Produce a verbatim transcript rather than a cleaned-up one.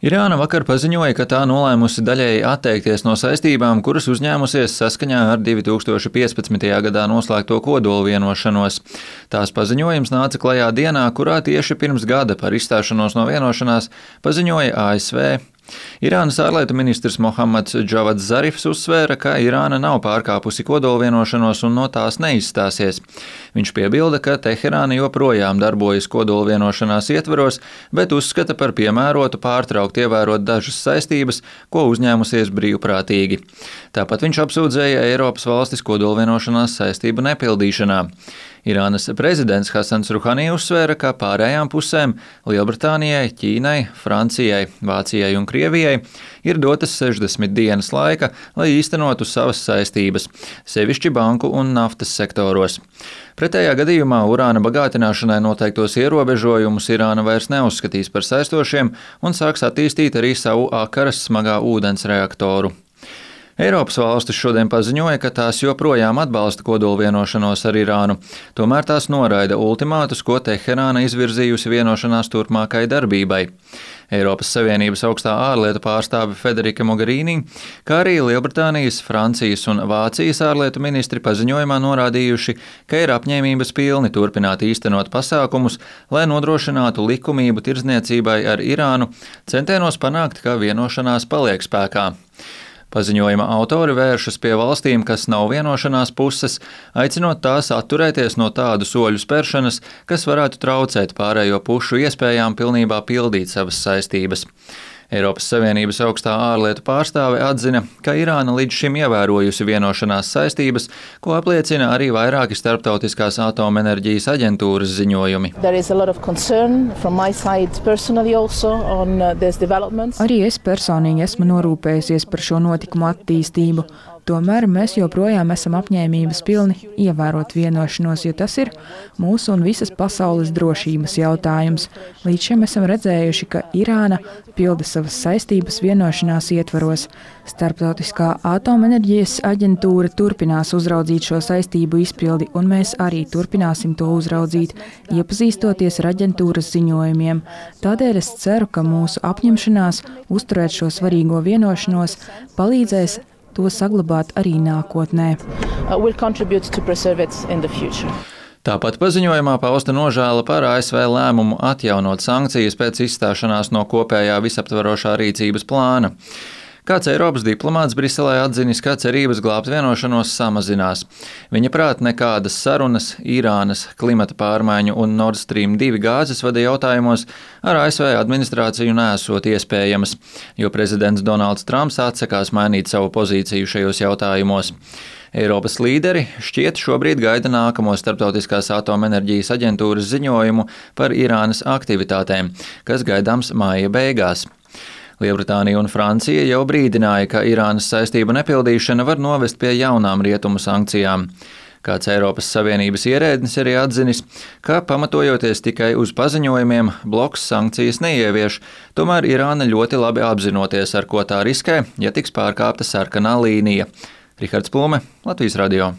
Irāna vakar paziņoja, ka tā nolēmusi daļēji atteikties no saistībām, kuras uzņēmusies saskaņā ar divi tūkstoši piecpadsmitajā gadā noslēgto kodola vienošanos. Tās paziņojums nāca klajā dienā, kurā tieši pirms gada par izstāšanos no vienošanās paziņoja A S V. Irānas ārlietu ministrs Mohammads Džavads Zarifs uzsvēra, ka Irāna nav pārkāpusi kodola vienošanos un no tās neizstāsies. Viņš piebilda, ka Teherāna joprojām darbojas kodola vienošanās ietveros, bet uzskata par piemērotu pārtraukt ievērot dažas saistības, ko uzņēmusies brīvprātīgi. Tāpat viņš apsūdzēja Eiropas valstis kodola vienošanās saistību nepildīšanā. Irānas prezidents Hasans Ruhani uzsvēra, ka pārējām pusēm – Lielbritānijai, Ķīnai, Francijai, Vācijai un Krievijai – ir dotas sešdesmit dienas laika, lai īstenotu savas saistības, sevišķi banku un naftas sektoros. Pretējā gadījumā urāna bagātināšanai noteiktos ierobežojumus Irāna vairs neuzskatīs par saistošiem un sāks attīstīt arī savu akaras smagā ūdens reaktoru. Eiropas valstis šodien paziņoja, ka tās joprojām atbalsta kodola vienošanos ar Irānu, tomēr tās noraida ultimātus, ko Teherāna izvirzījusi vienošanās turpmākai darbībai. Eiropas Savienības augstā ārlietu pārstāve Federika Mogherini, kā arī Lielbritānijas, Francijas un Vācijas ārlietu ministri paziņojumā norādījuši, ka ir apņēmības pilni turpināt īstenot pasākumus, lai nodrošinātu likumību tirdzniecībai ar Irānu, centienos panākt, ka vienošanās paliek spēkā. Paziņojuma autori vēršas pie valstīm, kas nav vienošanās puses, aicinot tās atturēties no tādu soļu spēršanas, kas varētu traucēt pārējo pušu iespējām pilnībā pildīt savas saistības. Eiropas Savienības augstā ārlietu pārstāve atzina, ka Irāna līdz šim ievērojusi vienošanās saistības, ko apliecina arī vairāki starptautiskās atomenerģijas aģentūras ziņojumi. Arī es personīgi esmu norūpējusies par šo notikumu attīstību. Tomēr mēs joprojām esam apņēmības pilni ievērot vienošanos, jo tas ir mūsu un visas pasaules drošības jautājums. Līdz šim esam redzējuši, ka Irāna pilda savas saistības vienošanās ietvaros. Starptautiskā atomenerģijas aģentūra turpinās uzraudzīt šo saistību izpildi, un mēs arī turpināsim to uzraudzīt, iepazīstoties ar aģentūras ziņojumiem. Tādēļ es ceru, ka mūsu apņemšanās uzturēt šo svarīgo vienošanos palīdzēs to saglabāt arī nākotnē. Tāpat paziņojumā pausta nožēla par A S V lēmumu atjaunot sankcijas pēc izstāšanās no kopējā visaptvarošā rīcības plāna. Kāds Eiropas diplomāts Briselē atzinis, ka cerības glābt vienošanos samazinās. Viņa prāt nekādas sarunas Irānas klimata pārmaiņu un Nord Stream divi gāzes vada jautājumos ar A S V administrāciju nesot iespējamas, jo prezidents Donalds Trumps atsakās mainīt savu pozīciju šajos jautājumos. Eiropas līderi šķiet šobrīd gaida nākamo starptautiskās atomenerģijas aģentūras ziņojumu par Irānas aktivitātēm, kas gaidāms māja beigās. Lielbritānija un Francija jau brīdināja, ka Irānas saistību nepildīšana var novest pie jaunām rietumu sankcijām. Kāds Eiropas Savienības ierēdnis arī atzinis, ka pamatojoties tikai uz paziņojumiem, bloks sankcijas neievieš, tomēr Irāna ļoti labi apzinoties, ar ko tā riskē, ja tiks pārkāpta sarkanā līnija. Rihards Plume, Latvijas radio.